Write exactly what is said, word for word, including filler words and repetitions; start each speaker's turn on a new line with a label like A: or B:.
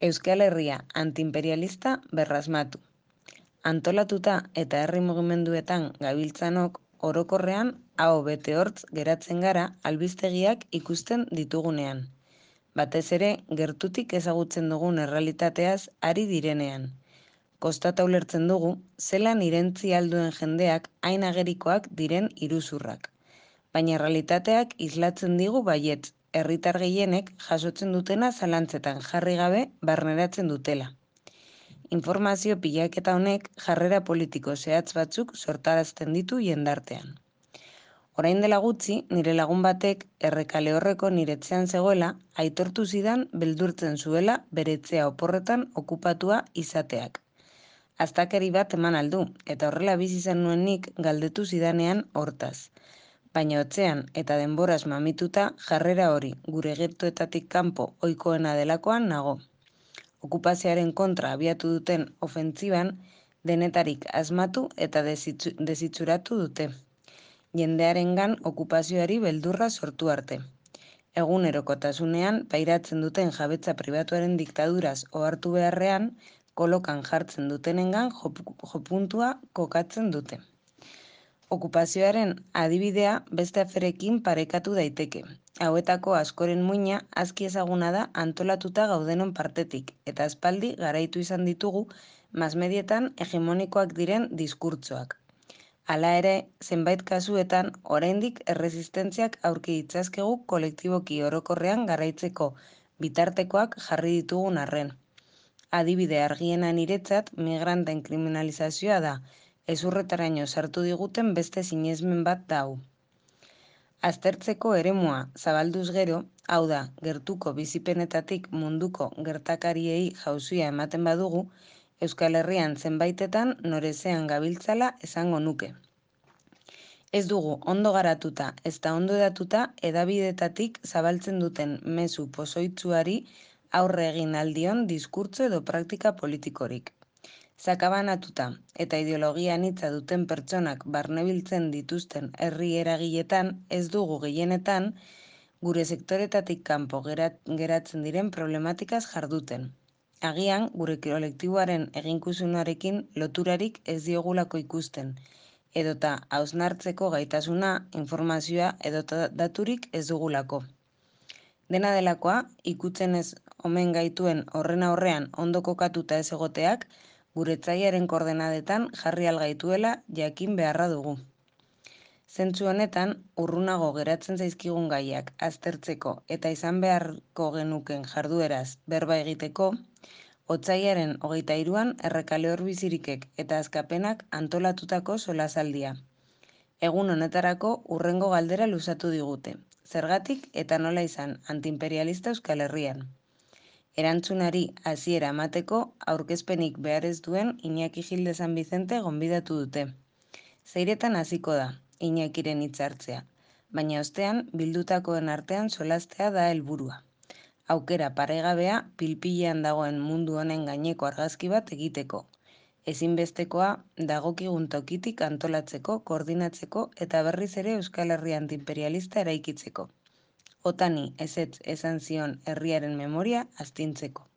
A: Euskal Herria antiimperialista berrasmatu. Antolatuta eta herri mugimenduetan gabiltzanok orokorrean aho bete hortz geratzen gara albistegiak ikusten ditugunean. Batez ere, gertutik ezagutzen dugun errealitateaz ari direnean. Kostata ulertzen dugu, zelan irentzi alduen jendeak hain agerikoak diren iruzurrak. Baina errealitateak islatzen digu baietz, herritar gehienek jasotzen dutena zalantzetan jarri gabe barneratzen dutela. Informazio pilaketa honek jarrera politiko zehatz batzuk sortarazten ditu jendartean. Orain dela gutxi, nire lagun batek errekale horreko niretzean zegoela, aitortu zidan beldurtzen zuela bere etxea oporretan okupatua izateak. Aztakeri bat eman aldu, eta horrela bizi izan nuen nik galdetu zidanean hortaz. Baina otzean eta denboraz mamituta jarrera hori gure gertuetatik kanpo ohikoena delakoan nago. Okupazioaren kontra abiatu duten ofentziban denetarik asmatu eta desitzu, desitxuratu dute. Jendearengan okupazioari beldurra sortu arte. Egunerokotasunean pairatzen duten jabetza pribatuaren diktaduraz ohartu beharrean, kolokan jartzen dutenengan jopuntua kokatzen dute. Okupazioaren adibidea beste aferekin parekatu daiteke. Hauetako askoren muina aski ezaguna da antolatuta gaudenon partetik, eta aspaldi garaitu izan ditugu masmedietan hegemonikoak diren diskurtsoak. Hala ere, zenbait kasuetan oraindik erresistentziak aurki ditzazkegu kolektiboki orokorrean garaitzeko bitartekoak jarri ditugun arren. Adibide argiena niretzat migranten kriminalizazioa da, ezurretaraino sartu diguten beste sinesmen bat da hau. Aztertzeko eremua zabalduz gero, hau da, gertuko bizipenetatik munduko gertakariei jauzia ematen badugu, Euskal Herrian zenbaitetan norezean gabiltzala esango nuke. Ez dugu ondo garatuta ezta ondo edatuta hedabidetatik zabaltzen duten mezu pozoitsuari aurre egin aldion diskurtso edo praktika politikorik. Sakabanatuta eta ideologia anitza duten pertsonak barnebiltzen dituzten herri eragiletan ez dugu gehienetan gure sektoretatik kanpo geratzen diren problematikaz jarduten. Agian, gure kolektiboaren eginkusunarekin loturarik ez diogulako ikusten, edota hausnartzeko gaitasuna, informazioa edota daturik ez dugulako. Dena delakoa, ikutzen ez omen gaituen horren aurrean ondo kokatuta ez egoteak, gure etzaiaren koordenadetan jarri algaituela jakin beharra dugu. Zentzu honetan, urrunago geratzen zaizkigun gaiak aztertzeko eta izan beharko genuken jardueraz berba egiteko, otsailaren hogeita hiruan errekale horbizirikek eta azkapenak antolatutako solasaldia. Egun honetarako hurrengo galdera luzatu digute. Zergatik eta nola izan antiimperialista Euskal Herrian. Erantzunari hasiera emateko aurkezpenik behar ez duen Iñaki Gil de San Vicente gonbidatu dute. Zeiretan hasiko da, Iñakiren hitzartzea, baina ostean bildutakoen artean solastea da helburua. Aukera paregabea pilpilean dagoen mundu honen gaineko argazki bat egiteko. Ezinbestekoa dagokigun tokitik antolatzeko, koordinatzeko eta berriz ere Euskal Herria antiimperialista eraikitzeko. Otani ezetz esan zion herriaren memoria astintzeko.